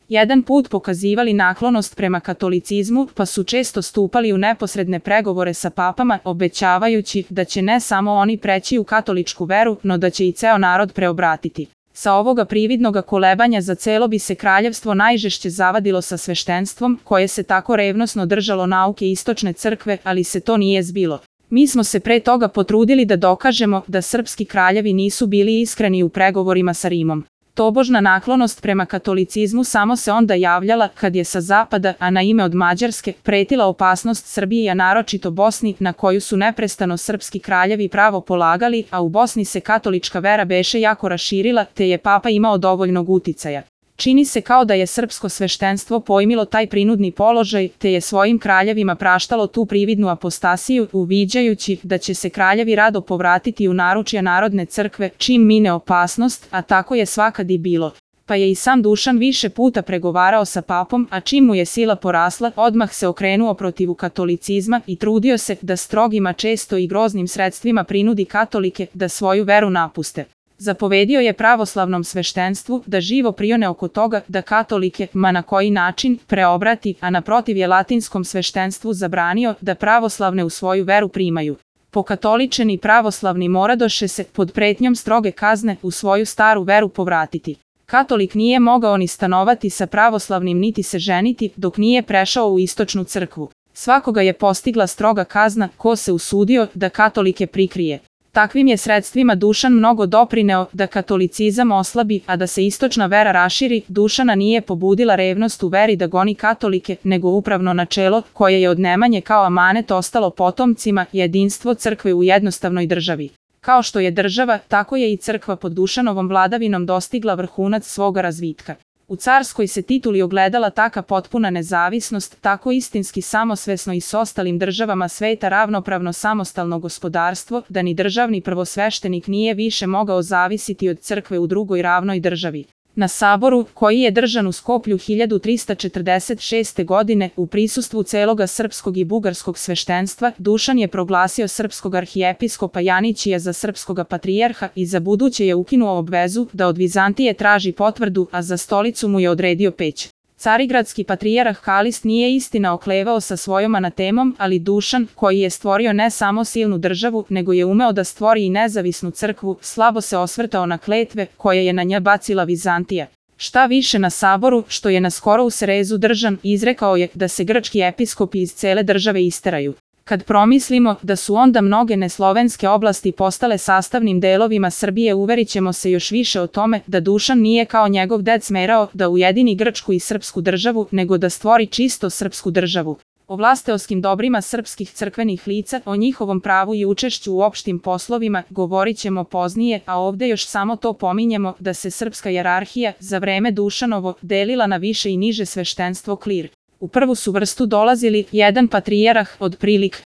jedan put pokazivali naklonost prema katolicizmu, pa su često stupali u neposredne pregovore sa papama, obećavajući da će ne samo oni preći u katoličku veru, no da će i ceo narod preobratiti. Sa ovoga prividnoga kolebanja za celo bi se kraljevstvo najžešće zavadilo sa sveštenstvom, koje se tako revnosno držalo nauke istočne crkve, ali se to nije zbilo. Mi smo se pre toga potrudili da dokažemo da srpski kraljevi nisu bili iskreni u pregovorima sa Rimom. Tobožna naklonost prema katolicizmu samo se onda javljala kad je sa zapada, a na ime od Mađarske, pretila opasnost Srbiji, a naročito Bosni, na koju su neprestano srpski kraljevi pravo polagali, a u Bosni se katolička vera beše jako raširila, te je papa imao dovoljnog uticaja. Čini se kao da je srpsko sveštenstvo pojmilo taj prinudni položaj, te je svojim kraljevima praštalo tu prividnu apostasiju, uviđajući da će se kraljevi rado povratiti u naručja narodne crkve, čim mine opasnost, a tako je svakad i bilo. Pa je i sam Dušan više puta pregovarao sa papom, a čim mu je sila porasla, odmah se okrenuo protiv katolicizma i trudio se da strogima, često i groznim sredstvima prinudi katolike da svoju veru napuste. Zapovedio je pravoslavnom sveštenstvu da živo prione oko toga da katolike, ma na koji način, preobrati, a naprotiv je latinskom sveštenstvu zabranio da pravoslavne u svoju veru primaju. Pokatoličeni pravoslavni moradoše se, pod pretnjom stroge kazne, u svoju staru veru povratiti. Katolik nije mogao ni stanovati sa pravoslavnim niti se ženiti dok nije prešao u istočnu crkvu. Svakoga je postigla stroga kazna ko se usudio da katolike prikrije. Takvim je sredstvima Dušan mnogo doprineo da katolicizam oslabi, a da se istočna vera raširi. Dušana nije pobudila revnost u veri da goni katolike, nego upravno načelo, koje je od Nemanje kao amanet ostalo potomcima, jedinstvo crkve u jednostavnoj državi. Kao što je država, tako je i crkva pod Dušanovom vladavinom dostigla vrhunac svoga razvitka. U carskoj se tituli ogledala taka potpuna nezavisnost, tako istinski samosvesno i s ostalim državama sveta ravnopravno samostalno gospodarstvo, da ni državni prvosveštenik nije više mogao zavisiti od crkve u drugoj ravnoj državi. Na saboru, koji je držan u Skoplju 1346. godine, u prisustvu celoga srpskog i bugarskog sveštenstva, Dušan je proglasio srpskog arhijepiskopa Janićija za srpskoga patrijarha i za buduće je ukinuo obvezu da od Vizantije traži potvrdu, a za stolicu mu je odredio Peć. Carigradski patrijarh Kalist nije istina oklevao sa svojom anatemom, ali Dušan, koji je stvorio ne samo silnu državu, nego je umeo da stvori i nezavisnu crkvu, slabo se osvrtao na kletve koje je na nja bacila Vizantija. Šta više, na saboru, što je naskoro u Serezu držan, izrekao je da se grčki episkopi iz cele države isteraju. Kad promislimo da su onda mnoge neslovenske oblasti postale sastavnim delovima Srbije, uverit ćemo se još više o tome da Dušan nije kao njegov ded smerao da ujedini grčku i srpsku državu, nego da stvori čisto srpsku državu. O vlasteoskim dobrima srpskih crkvenih lica, o njihovom pravu i učešću u opštim poslovima, govorit ćemo poznije, a ovde još samo to pominjemo da se srpska jerarhija za vreme Dušanovo delila na više i niže sveštenstvo klir. U prvu su vrstu dolazili jedan patrijarh, otprilike